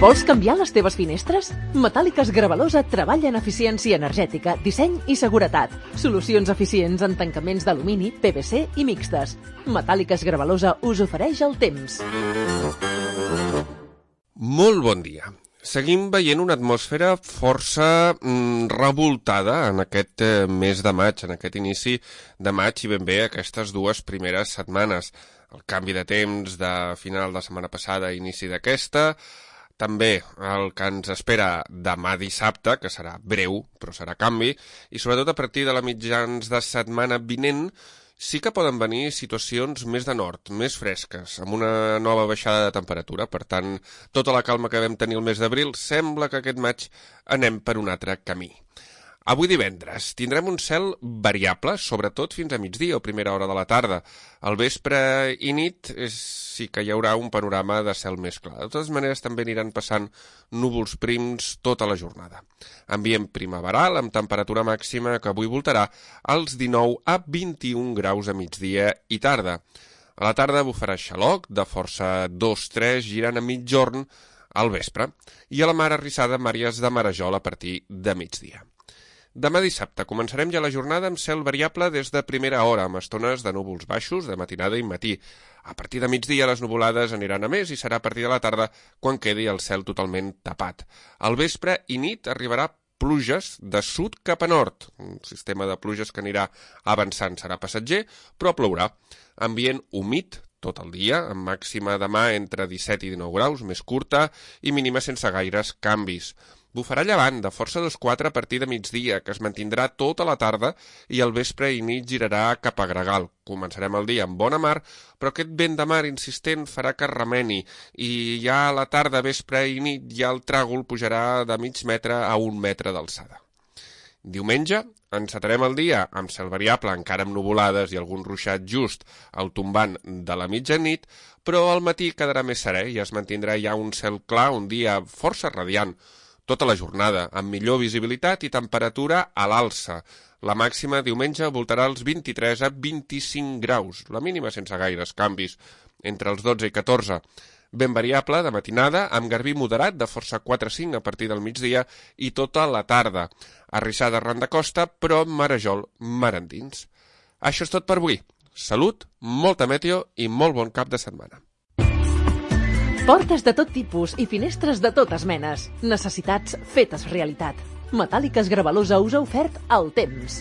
Vols canviar les teves finestres? Metàl·liques Gravalosa treballa en eficiència energètica, disseny i seguretat. Solucions eficients en tancaments d'alumini, PVC i mixtes. Metàl·liques Gravalosa us ofereix el temps. Molt bon dia. Seguim veient una atmosfera força revoltada en aquest mes de maig, en aquest inici de maig i ben bé aquestes dues primeres setmanes. El canvi de temps de final de setmana passada i inici d'aquesta, també el que ens espera demà dissabte, que serà breu, però serà canvi, i sobretot a partir de la mitjans de setmana vinent, sí que poden venir situacions més de nord, més fresques, amb una nova baixada de temperatura. Per tant, tota la calma que vam tenir el mes d'abril, sembla que aquest maig anem per un altre camí. Avui divendres tindrem un cel variable, sobretot fins a migdia o primera hora de la tarda. Al vespre i nit sí que hi haurà un panorama de cel més clar. De totes maneres també aniran passant núvols prims tota la jornada. Ambient primaveral amb temperatura màxima que avui voltarà als 19 a 21 graus a migdia i tarda. A la tarda bufarà xaloc de força 2-3 girant a mitjorn al vespre i a la mar arrissada màries de marejol a partir de migdia. Demà dissabte començarem ja la jornada amb cel variable des de primera hora, amb estones de núvols baixos de matinada i matí. A partir de migdia les nuvolades aniran a més i serà a partir de la tarda quan quedi el cel totalment tapat. Al vespre i nit arribarà pluges de sud cap a nord. Un sistema de pluges que anirà avançant serà passatger, però plourà. Ambient humit tot el dia, amb màxima demà entre 17 i 19 graus, més curta, i mínima sense gaires canvis. Bufarà llevant de força 2-4 a partir de migdia, que es mantindrà tota la tarda i al vespre i nit girarà cap a gregal. Començarem el dia amb bona mar, però aquest vent de mar insistent farà que remeni i ja a la tarda, vespre i nit ja el tràgol pujarà de mig metre a 1 metre d'alçada. Diumenge encetarem el dia amb cel variable, encara amb nuvolades i algun ruixat just al tombant de la mitjanit, però al matí quedarà més serè i es mantindrà ja un cel clar, un dia força radiant, tota la jornada, amb millor visibilitat i temperatura a l'alça. La màxima diumenge voltarà els 23 a 25 graus, la mínima sense gaires canvis, entre els 12 i 14. Ben variable de matinada, amb garbí moderat de força 4-5 a partir del migdia i tota la tarda. Arrissada arran de costa, però marejol mar endins. Això és tot per avui. Salut, molta meteo i molt bon cap de setmana. Portes de tot tipus i finestres de totes menes. Necessitats fetes realitat. Metàl·liques Gravalosa us ha ofert el temps.